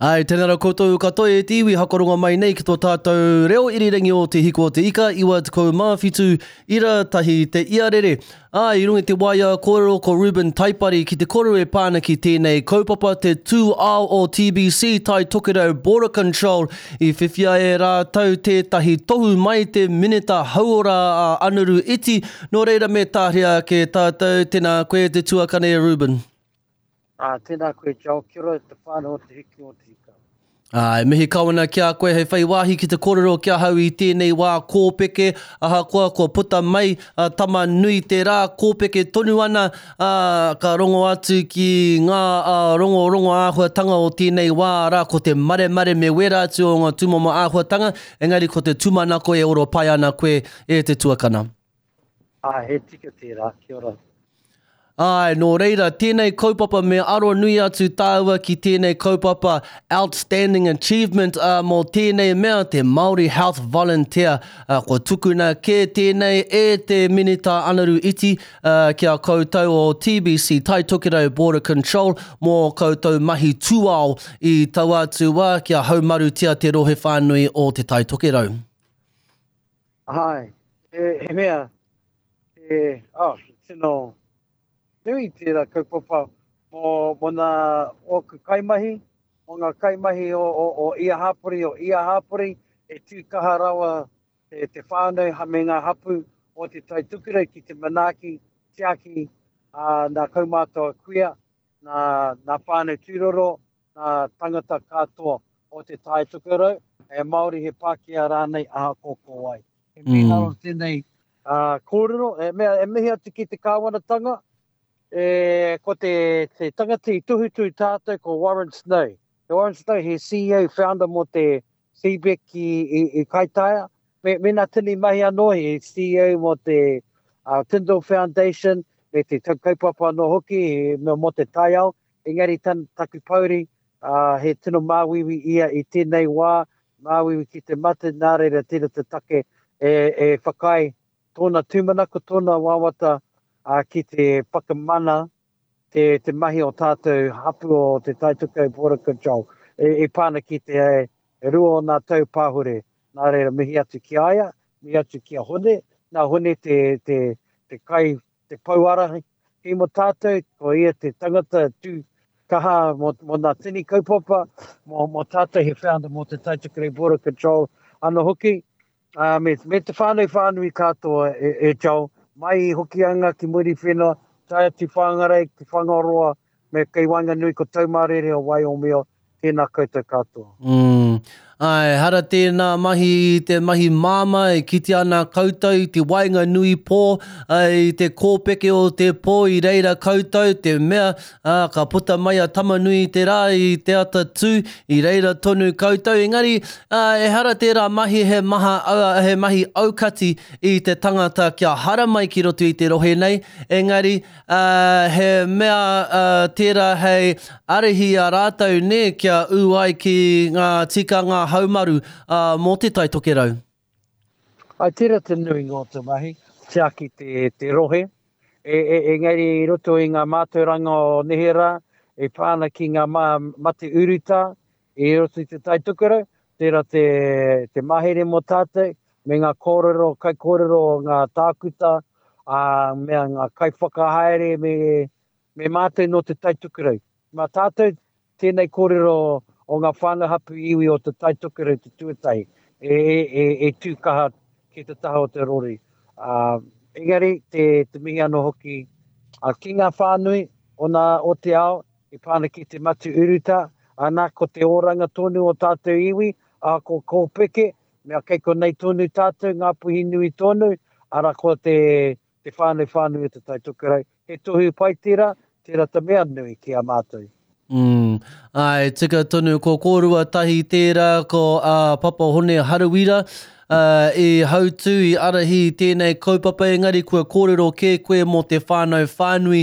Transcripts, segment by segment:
Āe, tēnā rā koutou katoa e te iwi hakarongo mai nei ki tō tātou reo irirangi o Te Hiko o Te Ika, 97 ira tahi te iarere. Āe, i runga i te waea kōrero ko Reuben Taipari ki te kōrero e pā ana ki tēnei kaupapa te tūao o TBC Tai Tokerau Border Control i whiwhia e rātou tētahi tohu mai te Minita Hauora a Anaru Iti, nō reira me tāria ake tātou, tēnā koe te tuakana e Reuben. Ā, tēnā koe Joel, kia ora te whānau o Te Hiki o Te Ika. Ā, e mihi kau ana ki a koe hei whai wāhi ki te kōrero ki ahau i tēnei wā kōpeke, ahakoa kua puta mai a Tama nui te rā, kōpeke tonu ana, ā, ka rongo atu ki ngā rongorongo āhuatanga o tēnei wā, arā, ko te maremare me wērā atu o ngā tūmomo āhuatanga, engari ko te tūmanako e oro pai ana koe e te tuakana. Ā, he tika tērā, kia ora. Āe, nō reira, tēnei kaupapa me aro nui atu tāua ki tēnei kaupapa Outstanding Achievement ā, mō tēnei mea, te Māori Health Volunteer. Ā, kua tukuna kē tēnei e te Minita Anaru Iti ā, ki a koutou o TBC, Tai Tokerau Border Control, mō koutou mahi tūao i taua atu wā kia haumarutia te rohe whānui o Te Tai Tokerau. Āe, he mea, he, oh, tino nui tērā kaupapa mō, mō nā ōku kaimahi, mō ngā kaimahi o, o, o ia hapori, o ia hapori, e tū kaha rawa te, te whānau me ngā hapū o Te Tai Tokerau ki te manaaki, tiaki ā, nā kaumātua kuia, nā, nā whānau tūroro, ngā tangata katoa o Te Tai Tokerau, he Māori, he Pākehā rānei, ahakoa ko wai. He mīharo tēnei kōrero, he mea e mihi atu ki te kāwanatanga, e, ko te, te tangata i tohutohu tātou ko Warren Snow. Ko Warren Snow he CEO founder mō te CBEC i, i, i Kaitaia, me, me nā tini mahi anō, he CEO mō te uh, Tindall Foundation, me te kaupapa anō hoki, he mea mō te taiao, Engari tan, taku pouri, ā, he tino māuiui ia i tēnei wā, māuiui ki te mate, nā reira tērā te take e, e whakaae tōna tūmanako, tōna wawata, ā, ki te whakamana te, te mahi o tātou hapū o Te Taitokerau Border Control e, e pā ana ki te e, rua o nā tau pāhure. Nā reira mihi atu ki a ia, mihi atu ki a Hone, nā Hone te, te, te kai te pou ārahi mō tātou, ko ia te tangata tū kaha mō, mō nā tini kaupapa, mō, mō tātou he founder mō te Taitokerau Border Control anō hoki, uh, me, me te whānau whānui katoa e, e Joel, mai i Hokianga ki Muriwhenua, tae atu Whangarei ki Whangaroa, me kei waenganui ko Taumārere o Waiomio, tēnā koutou katoa. Mm. Āe, ehara tēnā mahi i te mahi māmā e kitea ana koutou i te waenganui pō, i te kōpeke o te pō i reira koutou, te mea, ā, ka puta mai a Tamanui i te rā i te ata tū, i reira tonu koutou. Engari, ā, ehara tērā mahi he maha, he mahi aukati i te tangata kia haramai ki roto i te rohe nei, engari, Ā, he mea tērā hei ārahi i a rātou, nē, kia ū ai ki ngā tikanga haumaru mō Te Tai Tokerau. Āe, tērā te nuinga o te mahi, tiaki te, te rohe, e, e, engari i roto i ngā mātauranga o neherā, e pā ana ki ngā mā, mate urutā, i roto i Te Tai Tokerau, tērā te, te mahere mō tātou, me ngā kōrero, kaikōrero o ngā tākuta, ā, me ngā kaiwhakahaere, me, me mātou nō Te Tai Tokerau. Mā tātou tēnei kōrero o ngā whānau hapū iwi o Te Tai Tokerau te tuatahi, e, e, e, e tū kaha ki te taha o te rori. Ā, engari, te, te mihi anō hoki ā, ki ngā whānui o, nā, o te ao, E pā ana ki te matu urutā, ana, ko te oranga tonu o tātou iwi, ā, ko Kōpeke, mea kei konei tonu tātou, Ngāpuhi nui tonu, ara ko te, te whānau whānui o Te Tai Tokerau. He tohu pai tērā, tērā te mea nui ki a mātou. Mm, āe, tika tonu, ko kōrua tahi tērā, ko ā, Papa Hone Harawira. i hautū, i ārahi i tēnei kaupapa, engari kua kōrero kē koe mō te whānau whānui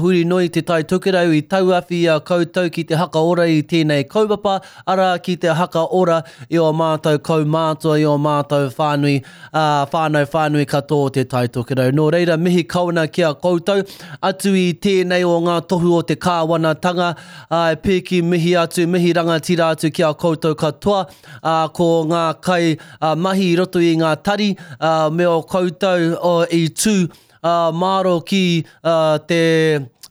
huri noa i Te Tai Tokerau i tauawhi i a koutou ki te hakaora i tēnei kaupapa, arā, ki te hakaora i ō mātou kaumātua, i ō mātou whānui, ā, whānau whānui katoa o Te Tai Tokerau. Nō reira, mihi kau ana ki a koutou. Atu i tēnei o ngā tohu o te kāwanatanga, ā, e pīki mihi atu, mihi rangatira atu ki a koutou katoa, ā, ko ngā kai, ā, mahi i roto i ngā tari, ā, me ō koutou, ō, i tū, ā, māro ki, ā, te,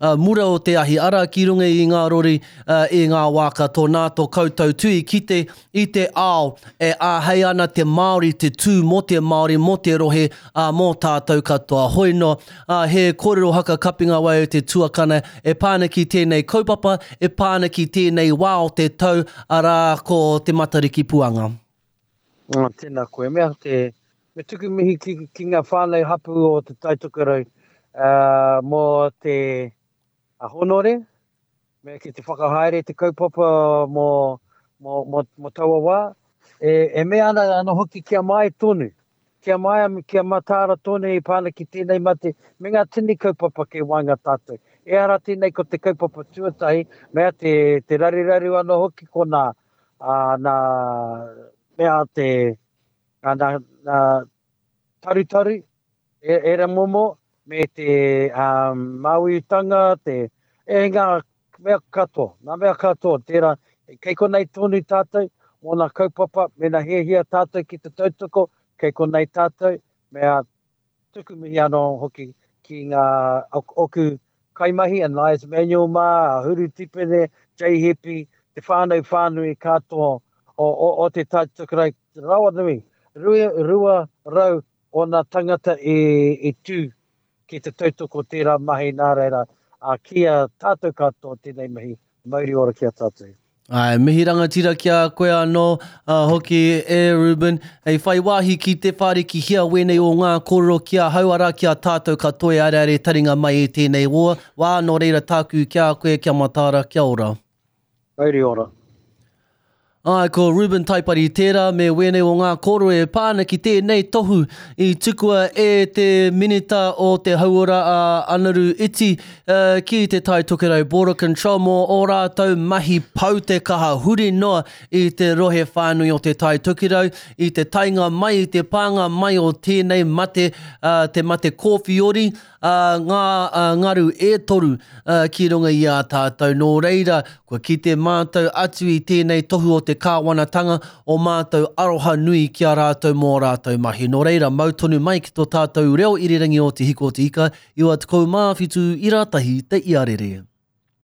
ā, mura o te ahi, arā, ki runga i ngā rori, ā, i ngā wā katoa. Nā tō koutou tū i kite i te ao e āhei ana te Māori te tū mō te Māori, mō te rohe, ā, mō tātou katoa. Hoi noa, ā, he kōrero haka kapinga wai o te tuakana e pā ana ki tēnei kaupapa, e pā ana ki tēnei wā o te tau, arā, ko Te Matariki Puanga. Ā, tēnā koe. Mea te, me tuku mihi ki, ki ngā whānau hapū o Te Tai Tokerau, ā, mō te honore, me ki te whakahaere te kaupapa mō, mō, mō, mō taua wā. E, e mea ana anō hoki kia māia tonu, kia māia, kia mataara tonu i pā ana ki tēnei mate me ngā tini kaupapa kei waenga tātou. Ehara tēnei ko te kaupapa tuatahi, mea te, te raruraru anō hoki ko nā, ā, nā mea te, ā, nā, nā tarutaru, e, ērā momo, me te um, māuiutanga, te, e ngā mea katoa, ngā mea katoa, tērā, kei konei tonu tātou, mō nā kaupapa, mēnā hiahia tātou ki te tautoko, kei konei tātou, mea tuku mihi anō hoki ki ngā oku kaimahi, a Nias Manuel mā, a Huru Tipene, Jay Hepi, te whānau whānui katoa o, o, o te Tai Tokerau, rawa nui, 200 ōna tangata i, i tū ki te tautoko tērā mahi nā reira, ā, ki a tātou katoa tēnei mihi, mauri ora ki a tātou. Āe, mihi rangatira ki a koe anō hoki e Reuben. Hei whai wāhi ki te whārikihia wēnei o ngā kōrero ki ahau, arā ki a tātou katoa e areare taringa mai i tēnei wā, nō reira tāku ki a koe, kia mataara, kia ora. Mauri ora. Āe, ko Reuben Taipari tērā me wēnei o ngā kōrero e pā ana ki tēnei tohu i tukua e te Minita o te Hauora a Anaru Iti ki te Tai Tokerau Border Control mō ō rātou mahi pau te kaha huri noa i te rohe whānui o te Tai Tokerau i te taenga mai, i te pānga mai o tēnei mate, te mate kōwhiori, ā, ngā ngaru e toru ki runga i a tātou. Nō reira, kua kite mātou atu i tēnei tohu o te kāwanatanga o mātou aroha nui ki a rātou mō ā rātou mahi. Nō reira, mau tonu mai ki tō tātou reo irirangi o Te Hiko o Te Ika, 97 ira tahi te iarere.